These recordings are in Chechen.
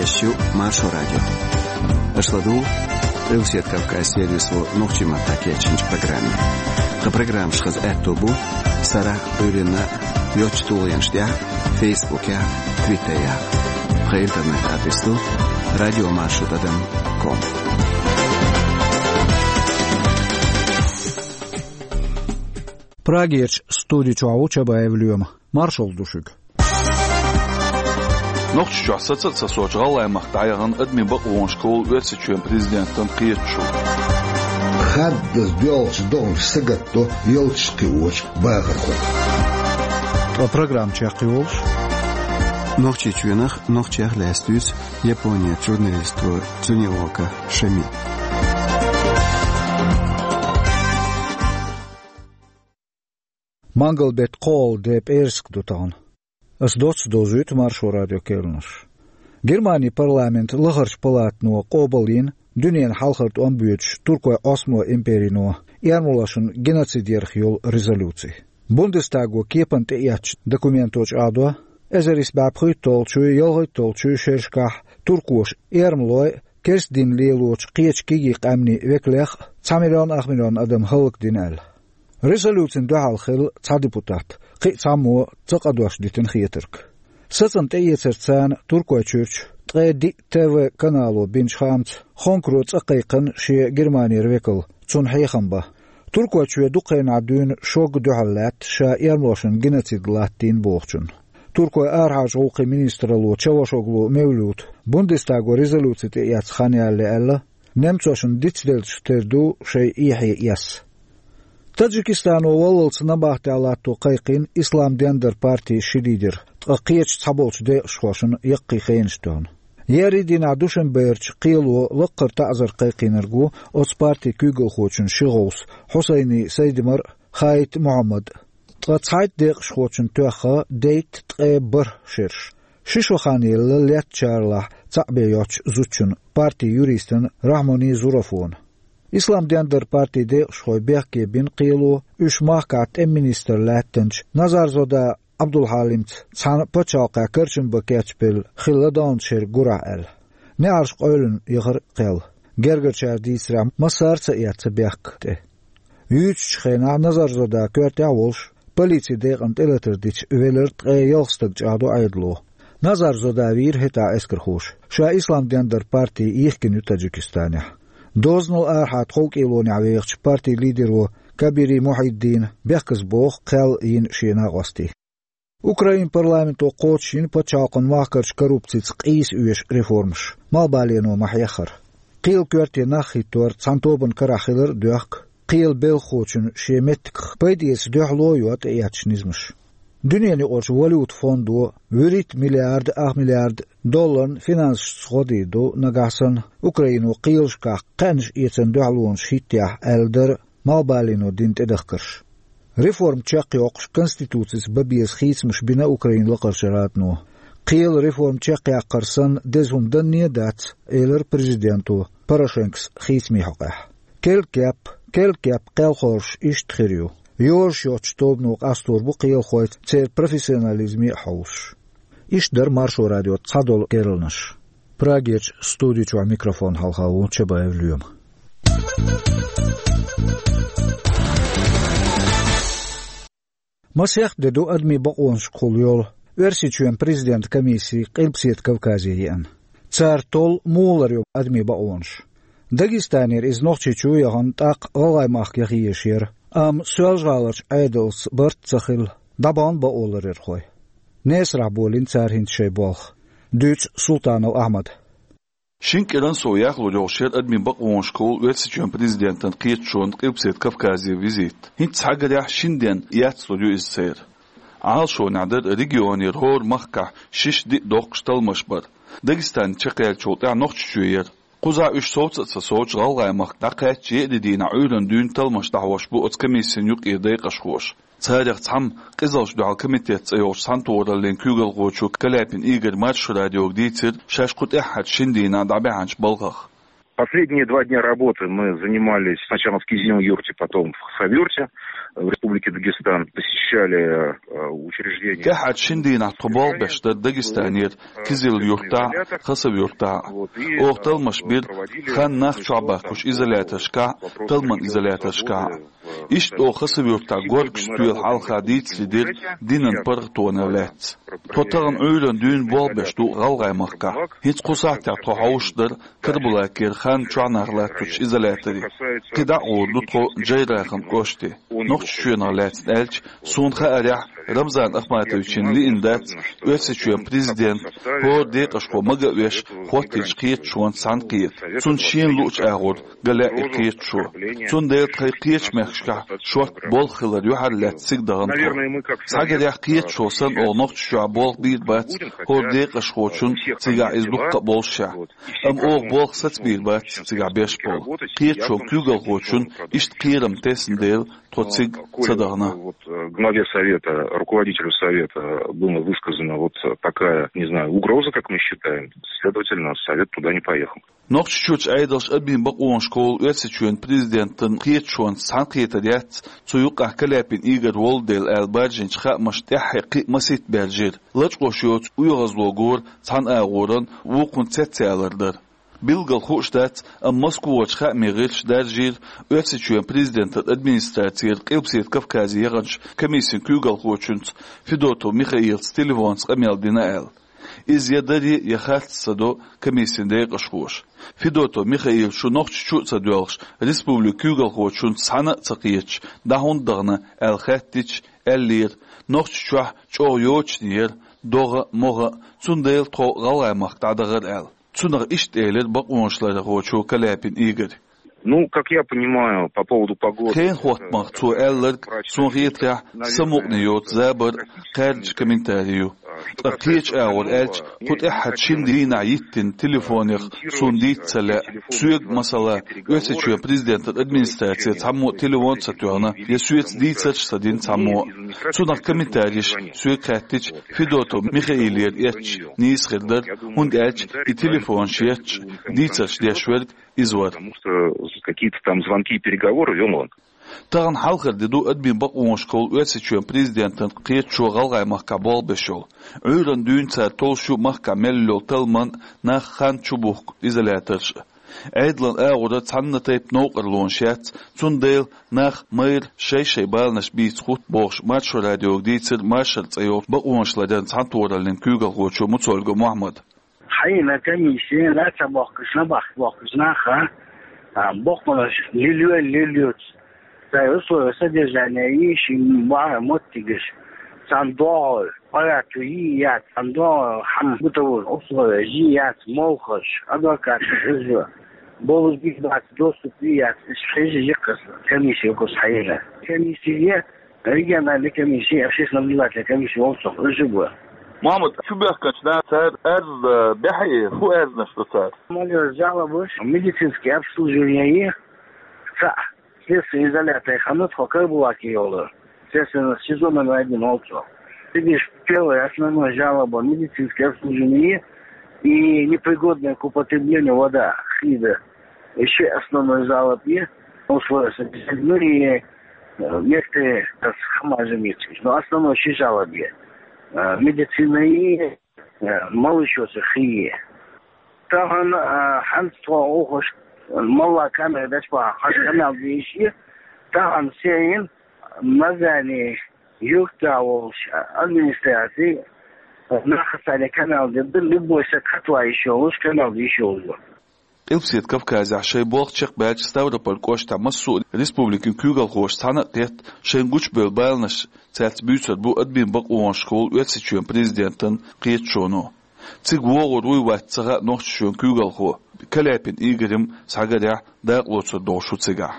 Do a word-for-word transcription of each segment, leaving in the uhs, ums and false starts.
Шу Маршо радио. Аша ладугӀу Къилбаседа Кавказ сервисо нохчийн маттахь кечйинчу программе. Тхан программаш хаза аьтто бу сарахь а, Ӏуьйранна а йоцачу тулгӀенаш тӀехь а, Фейсбукехь а, Твиттерехь а. Тхан интернет-адрес ду радиомаршо тӀадам ком. Прагерчу студи чохь ву Чабаев Лоьма. Маршалла ду шуьга. Нохчийчохь саца а ца соцу гӀалгӀайн махка дӀаяхана адамийн бакъонашкахула Оьрсийчоьнан президентан кхеташо. Хаддаза доьлхучу догӀмаш сагатдо ялташ кхиочу бахархой. Ткъа программа чекхйолуш, Нохчийчоьнах, нохчех лаьцна дуьйцу Японерчу журналисто Цунеока Шами. Мангал-беттан кхоалгӀа де, пӀераска ду тахана. Ас доцца довзуьйту Маршо радион керланаш. Германин парламентан лахарчу палатано къобалйина дуьненан хьалхара тӀом боьдуш Туркойн Ӏосмалойн империно эрмалошна геноцид ярх йолу резолюци. Бундестаго кепана тӀеэцначу документо чӀагӀдо, эзар исс бӀе пхийтталгӀачуй, ялхайтталгӀачуй шерашкахь туркоша эрмалойн а, керста дин лелочу кхечу кегий къаьмнийн векалех а цхьа миллион ах миллион адам хӀаллакдина аьлла. Резолюцина дуьхьал хилла цхьа депутат, кхин а цхьаммо ца къадош дитина хетарг. Сацам тӀеэцарца царна Туркойчуьрчу ткъе диъ Т В канало бинчу хаамца, Хонкаро цӀа кхайкхина шен Германера векал, цунна хьехам бан. Туркойчоь дукха хенахь дуьйна шога дуьхьал лаьтта ша эрмалошна геноцид латтийна бохучунна. Туркойн арахьарчу гӀуллакхийн министралло Чавушоглу Мевлюта Бундестаго резолюци тӀеэцна хан ялале аьлла, немцошна дицделлачух тера ду шайн эхье эс. Таджикистано валлалц набахтехь латто кхайкхийна Ислам ден дар партин ши лидер, ткъа кхечу цхьаболчу декъашхошна яккхий хенаш тоьхна. Еарин дийнахь Душанберчу кхело лаккхара таӀзар кхайкхийнарг ву оцу партин куьйгалхочун ши гӀовс Хьусайни Сайдимар а, Хаит Мухьаммад а. Ткъа цхьайтта декъашхочунна тоьхна дейтта ткъе бархӀ шераш. Ши шо хан елла летта чарлахь цхьаъ бен йоцучу зудчунна, партин юристана Рахьмани Зурафона. Ислам ден дар партин декъашхой бехке бина кхело, уьш махкахь тӀеман министр лаьттинчу Назарзода Ӏабдулхьалимца цхьана пачхьалкхехь карчам бан кечбелла хилла далначу шеран гурахь аьлла. НеӀарш къевлина яхара кхел. Гергарчара дийцарехь, массара а ца эцна бехк тӀе. Юьйцучу хенахь Назарзода коьртехь а волуш, полицин декъана тӀелатар дича велира ткъе ялх стаг, чӀагӀдо Ӏедало. Назарзода вийра хӀетахь эскархоша. Ша Ислам ден дар парти йихкина ю Таджикистанехь. Дозанал арахьа тховкӀелонехь вехачу партин лидеро Кабири Мухьиддина бехказа боху кхел йина шен накъостий. Украин парламенто кхочушйина пачхьалкхан махкарчу коррупцица къийса оьшу реформаш, малхбалено ма-хьеххара. Кхелан коьрте нах хӀиттор цхьана тобанан карахь хилар а доьхку, кхелан белхахочун шен меттигах пайда эца дуьхьало а йо тӀеэцначу низамаша. Дуьненаюкъарчу валюта фондо вуьрхӀитта миллиард ах миллиард долларна финансашца гӀо дийр ду, нагахь санна Украино кхелашкахь кхаьънаш эцарна дуьхьалонаш хӀиттехь, аьлла дара малхбалено дина тӀедахкарш. Реформа чекхйоккхуш, конституцица бан беза хийцамаш бина Украинан лакхарчу радано. Кхелан реформа чекхъяккхар санна деза хӀума данне а дац, элира президенто Порошенкос хийцамийн хьокъехь. Керла кеп, керла кеп кхелхойлуш иштта хир ю. Йозуш йоцчу тобано къастор бу кхелахойн церан профессионализме а хьовсуш. Иштта дара Маршо радион цхьадолу керланаш. Прагерчу студи чохь микрофон хьалха ву Чабаев Лоьма. Масех де ду адамийн бакъонашкахула йолу Оьрсийчоьнан президентан комисси Къилбаседа Кавказе еана. Цара толлу муха ларйо адамийн бакъонаш. Дагестанера иза Нохчийчу яхана, тӀаккха ГӀалгӀайн махка яха езаш яра, амма Соьлжа-ГӀаларчу Ӏедалца барт ца хилла, дӀабахана бакъо ларъярхой. Несарахь болийна цара хӀинца шайн болх. Дуьйцу Султанов Ахьмада. Шина кӀиранна сов яхлур йолуш яра адамийн бакъонашкахула Оьрсийчоьнан президентан кхеташонан Къилбаседа Кавказе визит. ХӀинца схьагарехь, шина денна эцалур ю иза церан. Ӏалашонехь дара регионера хӀора махкахь шишша-диъ доккхуш талламаш бар. Дагестане чекхъяьллачул тӀаьхьа Нохчийчоь яра. Кхузахь уьш совца а ца совцуш, ГӀалгӀайн махка дӀакхаьчча, еарин дийнахь Ӏуьйранна дуьйна талламаш дӀахьош бу оцу комиссин юкъара декъашхоша. Царах цхьамма къизаллаш дуьхьал комитет цӀе йолчу цхьаьнатохараллин куьйгалхочо Каляпин Игорь Маршо радиога дийцира шаьш кху тӀаьххьарчу шина дийнахь дӀабаьхьначу балхах. Последние два дня работы мы занимались сначала в Кизилюрте, потом в Хасавюрте. в Республике Дагестан посещали э, учреждения. ТӀехьарчу шина дийнахь тхо болх беш дара Дагестанера Кизил-Юртахь, Хасав-Юртахь. Оха талламаш бира хан нах чохь баьккхинчу изоляторшкахь, талламан изоляторшкахь. Иштта оха Хасав-Юртахь горга стоьла хьалха дийцаре дира динан паргӀатонах лаьцна. Тхо тахана Ӏуьйранна дуьйна болх беш ду ГӀалгӀай махкахь. ХӀинца кху сахьтехь тхо хьовсуш дара Карабулакера хан чохь нах латточу изоляторе. КхидӀа а гӀур ду тхо Джейрахан кӀоште. Нохчийчоьнах лаьцна аьлча, суна хаарехь, Рамзан Ахматовична лиъна дац Оьрсийчоьнан президент, хӀора декъашхо мага а веш, хӀоттийчу кхеташонца цхьаьна кхета. Цунна шена луучу агӀор ган лаьа и кхеташо. Цундела тхайн кхечу мехкашкахь шортта болх хилар юьхьарлаьцна цига дахана тхо. Схьагарехь, кхеташо санна, оха Нохчийчохь болх бийр бац хӀора декъашхочун, цигахь иза дуккха а боллушехь. Амма оха болх сацабийр бац цигахь беш болу. Кхеташонан куьйгалхочун иштта кхерам тесна дела, тхо цига ца дахана. Вот, э, главе Совета, руководителю Совета была высказана вот такая, не знаю, угроза, как мы считаем. Следовательно, Совет туда не поехал. Нохчийчуьрчу Ӏедалш адамийн бакъонашкахула Оьрсийчоьнан президентан кхеташонца цхьаьна кхетар яц, цу юкъахь Каляпин Игорь волу дела аьлла баржийначу хаамашна тӀаьххье кхин а масийтта баьржира. Лачкъош йоцу оьгӀазло гора цхьана агӀоран вукхунна цецъялар дара. Билггал хууш дац, амма Москварчу хаамийн гӀирсаша даржийра Оьрсийчоьнан президентан администрацера Къилбаседа Кавказе яханчу комиссин куьйгалхочуьнца Федотов Михаилца телефонца къамел дина аьлла. Иза я даре, я харц ца до комиссин декъашхоша. Федотов Михаил шу Нохчийчу а ца доьлхуш, республикан куьйгалхочуьнца цхьаьна а ца кхеташ, дӀа хӀунда дахана аьлла хаьттича, аьллера, Нохчийчохь чӀогӀа йочане яра, догӀа а, могӀа а, цундела тхо ГӀалгӀай махка дӀадахара аьлла. Цунах иштта элира бакъонашларъярхочо Каляпин Игорь. Ну, как я понимаю, по поводу погоды... Хенан хӀоттамах цо аьлларг, суна хетарехь, самукъане йоцу забар а, кхаьрдаш комментари ю. Ткъа кхечу агӀор аьлча, кху тӀаьххьарчу шина дийнахь йиттина телефонех суна дийца ца лаьа. Соьга, масала, Оьрсийчоьнан президентан администраце цхьаммо а телефон ца тоьхна, я соьца дийцарш ца дина цхьаммо а. Цунах комментареш соьга хаьттича, Федотов Михаилера эцча нийса хир дара, хӀунда аьлча и телефонаш етташ, дийцарш деш верг иза вара. Потому что какие-то там звонки и переговоры вёл он. Тахана хьалхара де ду адамийн бакъонашкахула Оьрсийчоьнан президентан кхеташо ГӀалгӀай махкахь болх беш йолу. Ӏуьйранна дуьйна цара толлуш ю махкахь мел йолу талламан нах хан чу бухку изоляторш а. Ӏедалан агӀора цхьанна тайпа новкъарлонаш яц, цундела нах майра шай-шай баланаш бийца хӀутту бохуш, Маршо радиога дийцира Маршо цӀе йолчу бакъонашларъяран цхьаьнатохараллин куьйгалхочо Муцольгов Мухьаммада. Хьайна комиссия, нах ца бохкуш, набахка бохкуш наха, а, боккъалаш лилвелла лилвоьцу. Цара условия содержания йиш, бахьа моттигаш, цхьана догӀу, парату йий яц, цхьана догӀу, хьан бытовой условия йий яц, молхаш, адвокаташ, иза, болу бийр бац, доступ йий яц, иза хьежа йикхас комиссия кус хьайна. Комиссия, региональная комиссия, общественно-образовательная комиссия волчох, иза бу. Мухьаммад, шу бехканчу наха цара арз, э, бехье, хӀун арзнаш ду цара? Молодёжь жалобаш, медицинское обслуживание, цхьаъ, следственный изолятор ханна тхо Карабулаке йолу, следственный СИЗО номер один волчох. Видишь, первая основная жалоба, медицинское обслуживание и непригодная к употреблению вода, хида. Ещё основной жалоб е, условия содержания, ну и, э, некоторые, э, хамажа митчиш. Но основной ши жалоб е. Э, медицина и, э, малышоца хие. Тахана, э, хьанца тхо ухуш, малла камера даш баха, хаш канал дийши. Тахана сейн, Назани, юкта волуш, администрации, нахасани канал де, любой са катла ещё луш, канал ещё луш. Къилбаседа Кавказехь шайн болх чекхбаьлча, Ставрополь кӀоштахь массо а республикин куьйгалхоша цхьаьна а кхетта, шайн гучубевлла баланаш цаьрца буьйцур бу адамийн бакъонашкахула Оьрсийчоьнан президентан кхеташоно. Цига вогӀур вуй, вац ца хаьа Нохчийчоьнан куьйгалхо. Каляпин Игорь-м, схьагарехь, дакъалоцур долуш ву цигахь.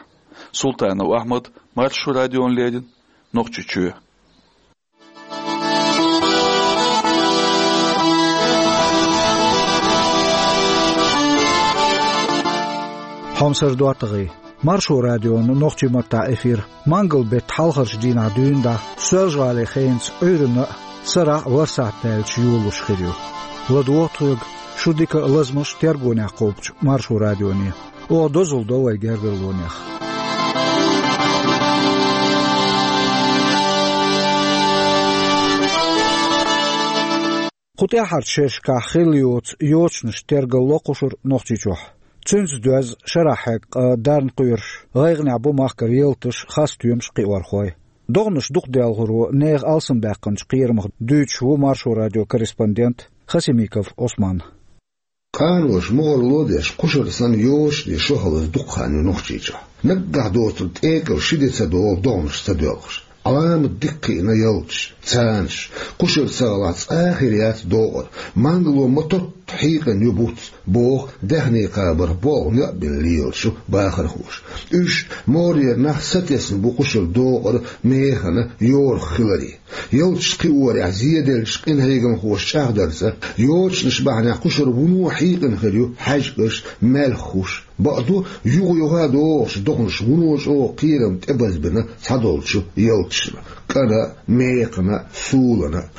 Султанов Ахьмад, Маршо радиона леррина, Нохчийчоь. Хьомсара доттагӀий. Маршо радион нохчийн маттахь эфир. Мангал беттан хьалхарчу дийнахь дуьйна дӀа Соьлжа-ГӀалин хенаца Ӏуьйранна а, сарахь а лар сахьт даьлча йолалуш хир ю. ЛадогӀа тхоьга, шу дика а, лазамаш а тергонехь кхобучу Маршо радионе. Оха дозалла до вай гергарлонех. ТӀаьххьарчу шерашкахь хилла йоцу йочанаш тергалло кхушара Нохчийчохь. Цуьнца доьзна шарахь хьегна къа дарна кхоьруш, гӀайгӀанехь бу махкара ялташ, хасстоьмаш, кхиорхой. ДогӀанаш дукха делхаро нехан алсамбаьккхинчу кхерамах дуьйцуш ву Маршо радион корреспондент Хасимиков Ӏусман. Къаноша могӀарло а деш, кхушара санна йочане шо хиларца дукха хан ю Нохчийчохь. Наггахь доцург тӀекӀал ши де ца долу догӀанаш ца доьлхуш. Ӏаламат дика кхиъна ялташ, цанаш, кхушара ца хилахь цкъа а хир яц догӀар, мангало ма-тотта хьийкъина ю буц, боху даьхни кхабарх болх некъ бина лелаш ю бахархоша. Уьш, могӀарера нах, сатесна бу кхушара догӀар механа йорах хиларе. Ялташ кхиорехь зеделлачу къинхьегамхоша чӀагӀдарца, йочанаш бахьанехь кхушара вуно хьийкъина хир ю хьаьжкӀаш, маьлххуш. Бакъду, юха-юха а догӀучу догӀанаш вуно чӀогӀа кхерам тӀебазбина цхьадолчу ялташна, кӀана а, мекхана а, сулана а.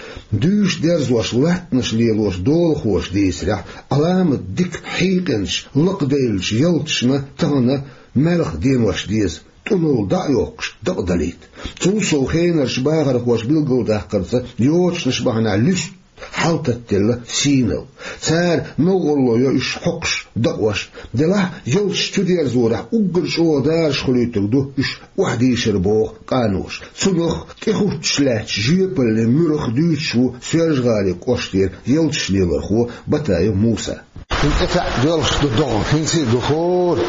Дуьйш дерзош латтанаш лелош долахоша дийцарехь, Ӏаламат дика хьийкъинчу, лакхадевллачу ялташна тахана маьлха денош деза, тӀунулла дӀа а йоккхуш, дакъадалийта. Цул сов хенарчу бахархоша билгалдаккхарца, йочанаш бахьанехь луьста хьал таттаделла сийнал. Цара новкъарло йо уьш хьокхуш, дакъош. Делахь, ялташ чудерзорехь уггар чӀогӀа дараш хуьлуьйтург ду уьш охьадийшар, боху къаноша. Цунах тӀехӀуттуш лаьттачу жоьпаллин муьрах дуьйцуш ву Соьлжа-ГӀалин кӀоштара ялташ лелорхо Батаев Муса. ХӀинца тӀе таьӀ доьлхуш ду догӀа, хӀинца а ду хӀора.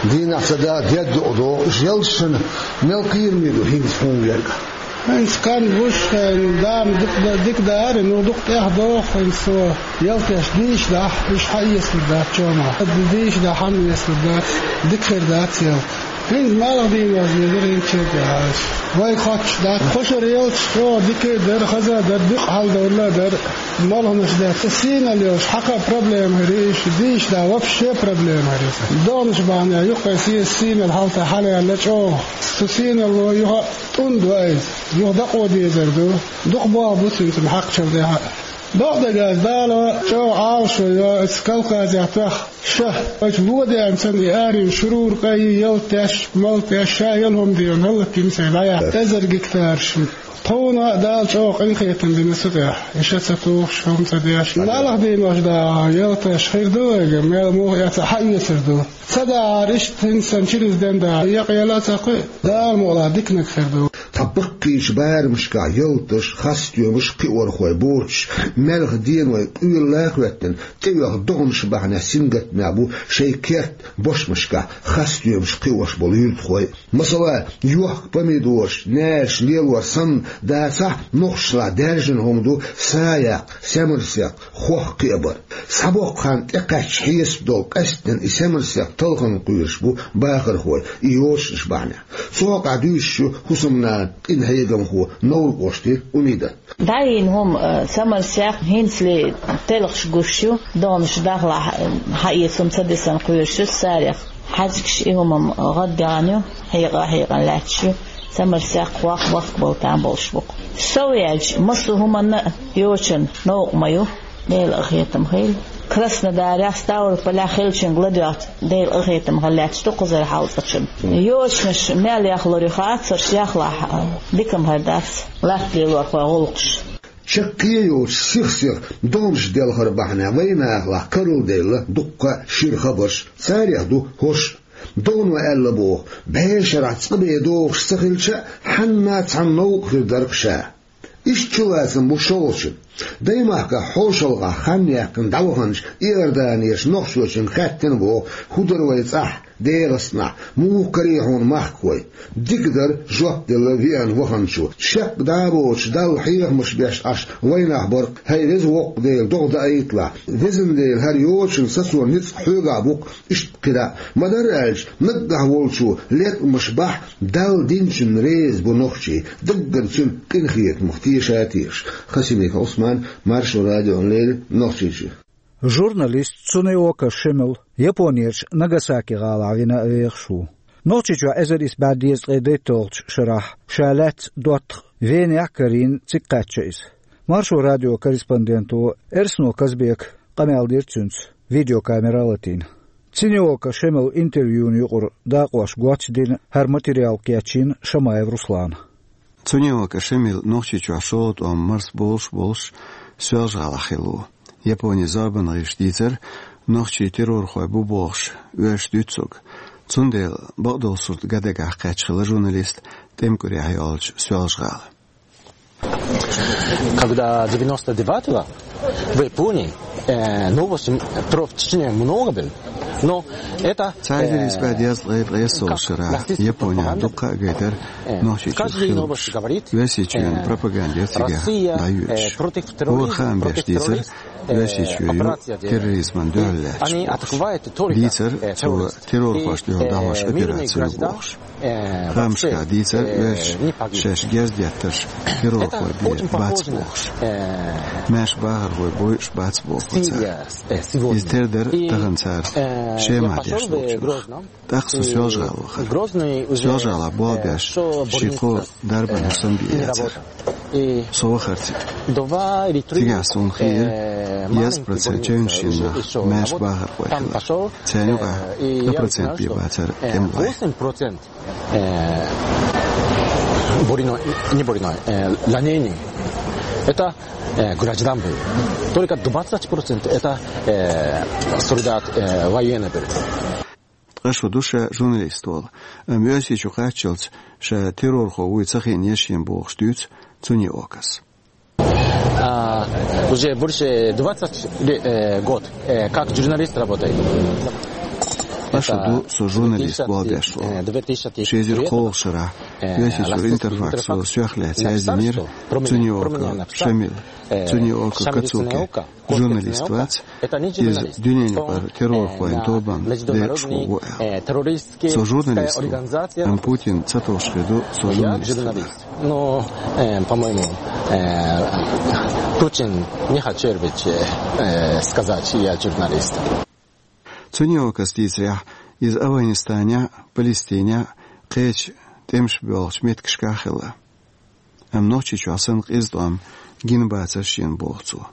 Дийнахь ца да, дед ду догӀа. Уьш ялташна мел кхераме ду хӀинца хьуна верг? ХӀинца хан гуш, хӀинца дама дика да-, дика дара, ну дукха тӀех доху хӀинца со. Ялташ дийша дахь, уьш хьаэцалур дац чомах. Дийша дахь, хьаэцалур дац, дика хир дац ялта. ХӀинца маьлха денош дезара хӀинца чергахь. Вай хоттуш дац. Кхушара ялташ чӀогӀа дика а дара, хаза а дара, дукха хьаладовла а дара. Молханаш дац. Ца сийнал йолуш, хьакха а проблема хир ю, иштта дийша да, вообще проблема хир ю. ДогӀанаш бахьанехь юккъе сийсаз сийнал хьалха хьалаяьлла чӀогӀа. Цу сийналло юха а тӀунда ваиз, юха дакъо дезар ду. Дукха боху бу цуьнца хьакхачалла тӀехь а. Докъа дагаз Дала чӀогӀа Ӏалашо йо, оцу Кавказехь тоьхна ша. Вайчу лодеана санна и аренаш, шурура къа йи, ялта теш, малта теш, ша яла хӀума де, хӀаллакдина сайн дӀаяхьа. Эзар гектараш. Тхуна а Дала чӀогӀа къинхетам бина цу тӀехь. И ша ца тухуш, хӀума ца деш. Маьлха денош да, ялташ хир ду вайга, мел муха эца хьаэцар ду. Ца дахьара иштта хӀинца санна чириза ден да, якъ яла а ца кхуьу, Дала мукъалахь диканиг хир ду. Тхан баккхийчу барамашкахь ялташ, хасстоьмаш, кхиорхой боцуш, маьлха деной къоьлла а хӀоьттина, тӀеоьху догӀанаш бахьанехь сингаттамехь бу шайн керта бошмашкахь хасстоьмаш кхиош болу юьртахой. Масала, йохка помидораш, наьраш лелор санна дацахь, нохчашлахь даьржина хӀума ду саякх, семарсекх, хох кхиабар. Схьабоккху хан тӀекхаьчча хьесап долу къаьсттина и семарсекх талхана кхоьруш бу бахархой, и йочанаш бахьанехь. Цу хьокъехь дуьйцуш ю хӀусамнана, къинхьегамхо, Новр кӀоштара Умидат. ДӀайина хӀума, э, семарсекх хӀинцале телхаш гуш ю, догӀанаш дахлахь, э, хьаэца хӀума ца дисина кхоьруш ю сарех. ХьаьжкӀаш, и хӀума-м гӀаддаьхна ю, хьекъа а хьекъана лаьтташ ю, семарсекх, хох бахка бала там болуш бу-кх. Сов яьлча, массо а хӀуманна а йочана новкъа ма ю, Делан къинхетам хуьлда. Краснодарехь, Ставрополехь хиллачуьнга ладоьгӀча, Делан къинхетам хилла лаьтташ ду кхузара хьалцӀачунна. Йочанаш мел яхлур ю хацарш, яхлахь, дика-м хир дац латта лелорхойн гӀуллакхаш. Чаккхе а йоцуш, сих-сиха догӀанаш делхар бахьанехь вайнахалахь карладевлла дуккха а шира хабарш. Царех ду хӀорш. ДогӀано аьлла боху, бӀешарахь цкъа бен догӀуш ца хилча а, хьанна а цхьана новкъа хир дара-кх ша. Иштта чулацам бу шолгӀачун. Даймахкахь хьошалгӀахь хан яьккхина дӀаваханчу Иорданерчу нохчочуьнга хаьттина боху, хӀун дара вай цӀахь, ДегӀастанахь, муха карий хьуна махкахой? Дика дара, жоп делла веана ваханчо. Шек дӀа а боцуш, Далла хьехамаш беш Ӏаш вайнах бара-кх, хӀай Веза Воккха Дела, догӀа даийталахь. Везан Дела, хӀара йочана сацо ницкъ хьоьгахь бу-кх, иштта кхидӀа а. Ма-дарра аьлча, наггахь волчо леткъамаш бахь, Далла динчунна реза бу нохчий, даггара цуьнан къинхетамах теша а тешаш. Хасимиков Ӏусман, Маршо радиона леррина, Нохчийчоь. Журналист Цунеока Шемал Японерчу Нагасаки гӀалахь вина а вехаш ву. Нохчийчохь эзар исс бӀе дезткъе дейтталгӀачу шарахь ша лаьцна доттагӀа Венехь а карийна цига кхаьчна иза. Маршо радион корреспонденто Эрсно Казбека къамел дира цуьнца, видеокамера а латийна. Цунеока Шемала интервьюна юкъара дакъош гоч а дина, хӀара материал кечйина Шамаев Руслана. Цунеока Шемал Нохчийчохь шолгӀа тӀом марсболуш а болуш, Соьлжа-ГӀалахь хилла ву. Японе зорбанан гӀирсаша дийцар, нохчий террорхой бу бохуш оьшуш дуьйцург. Цундела бакъдолу сурт ган дагахь кхаьчна хилла журналист тӀеман кӀурехь йолчу Соьлжа-ГӀала. Когда девяносто девятого в Японии, э, новости про Чечню много было, но это, Цхьа эзар исс бӀе дезткъе ткъайоьсналгӀачу шарахь Японехь дуккха а гайтара, э, нохчийчуьра хилларш. Оьрсийчоьнан пропаганда яра цигахь дӀайоьдуш. Хьо хаам беш дийцар, Оьрсийчоь ю терроризмана дуьхьал лаьтташ бохуш. Дийцар, цо террорхошна дуьхьал дӀахьош операци ю бохуш. Хаамашкахь дийцар, оьрсаша шаьш герз деттарш террорхой бен бац бохуш. Маьрша бахархой бойуш бац боху цара. Иза тера дара тахана цара Шемахь деш долчунах. ТӀаккха со Соьлжа-ГӀала вахара. Соьлжа-ГӀалахь болх беш ши-кхо дарбанан хӀусам бен яцара. Со вахара цига. Цигахь суна хиира, дезткъа процент чевнаш йина нах маьрша бахархой хилар. Царна юкъахь ткъа процент бен бацара тӀемалой. Э, бурино, не бурино, э, ранение. Это, э, граждан был. Только двадцать процент это, э, солдат, э, военный был. Ткъа шу ду ша журналист волу, амма Оьрсийчу кхаччалц ша террорхо вуй ца хиъна еш йина бохуш дуьйцу Цуниокас. А, уже больше двадцать ле-, э, год, э, как журналист работает. Ткъа шу ду со журналист болх беш волу. Ши эзар кхоалгӀачу шарахь Оьрсийчуьра Интерфаксо соьх лаьцна яздинера Цуниока Шамил, Цуниока Кацуки. Журналист вац, иза дуьненаюкъара террорхойн тобанна декъашхо ву аьлла. Со журналист ву, амма Путин ца товш хир ду со журналист хилар. Ну, э, по-моему, э, Путин не хотел ведь, э, э, сказать, я журналист. Цуниокас дийцарехь, иза Афганистанехь а, Палестинехь а кхечу тӀемаш боьлхучу меттигашкахь а хилла. Амма Нохчийчохь санна къиза тӀом гина бацара шена боху цо.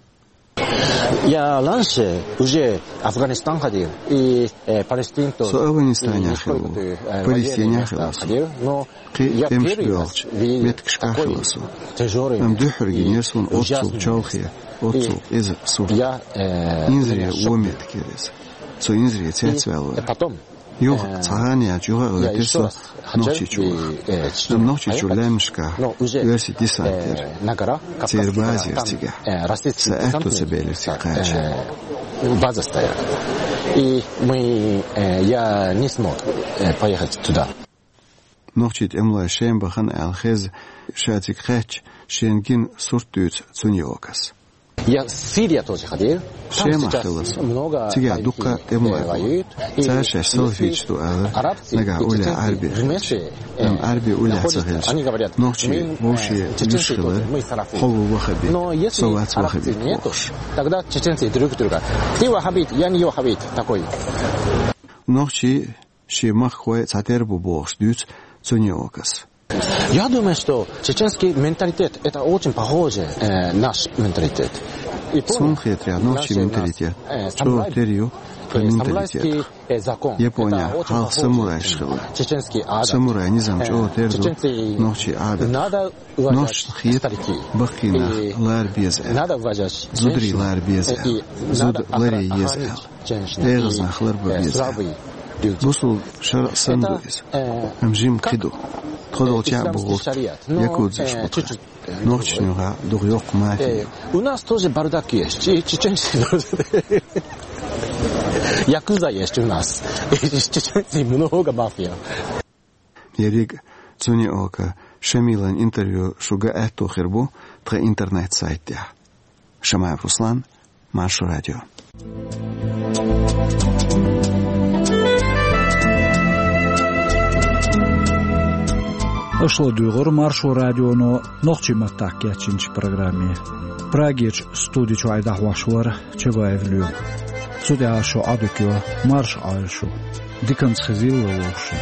Я раньше уже Афганистан ходил, и, э, Палестин тоже. Со Афганистанехь хилла ву, Палестинехь хилла со. Кхин а тӀемаш боьлхучу меттигашкахь хилла со. Амма дуьххьара гинера суна оццул чолхе, оццул къиза сурт. Инзаре вон меттиг яра иза. Со инзаре цецваьлла вара. Юха, цхьа хан яьлча, юха а гӀоьртира со Нохчийчу ваха. Амма Нохчийчуьра лаьмнашкахь оьрсийн десант яра. Церан база яра цигахь. Сан аьтто ца белира цига кхача. База стояла. И мы, э, я не смог, э, поехать туда. Нохчийн тӀемалой Шема бахана аьлла хезна, ша цига кхаьчча, шена гина сурт дуьйцу Цуниокас. Я в Сирию тоже ходил. Шемахь хилла со. Цигахь дуккха а тӀемалой бу. Цара шаьш салафиташ ду алара, нагахь уллехь Ӏаьрби хилча. Амма Ӏаьрби уллехь ца хилча, нохчий вовшийн уьш хилар, хьо ву ваххабит, со вац ваххабит бохуш. Тогда чеченцы друг друга: ты ваххабит, я не ваххабит, такой. Нохчий шен махкахой цхьатерра бу бохуш дуьйцу Цуниокас. Я думаю, что чеченский менталитет — это очень похоже, э, наш менталитет. Суна хетарехь, нохчийн менталитет чӀогӀа тера ю тхан менталитетах. Японехь хьалха самурайш хилла. Самурай низам чӀогӀа тера ду нохчийн Ӏадатах. Нохчашна хета баккхий нах лара беза аьлла. Зударий лара беза аьлла. Зуда ларъе еза аьлла. ДегӀаза нах ларбан беза аьлла. Бусулба шарӀ санна ду иза. Амма жимма кхин ду. Тхо долчохь а бу гӀуллакх якудзаш бу-кх. Нохчашна юкъахь ду-кх йоккха мафия. У нас тоже бардак есть. Че-, чеченцы тоже. Якудза есть у нас. Чеченцы много мафия. Ерриг а Цуниока Шамилан интервью шу ган аьтто хир бу тхан интернет-сайта тӀехь. Шамаев Руслан, Маршо Радио. Аша ладуьйгӀира Маршо Радионо нохчийн маттахь кечйинчу программе. Прагерчу студи чуьра дӀахьош вара Чабаев Лоьма. Цу тӀехь шу Ӏодика йо, марша Ӏойла шу. Диканца хезийла вай вовшашна.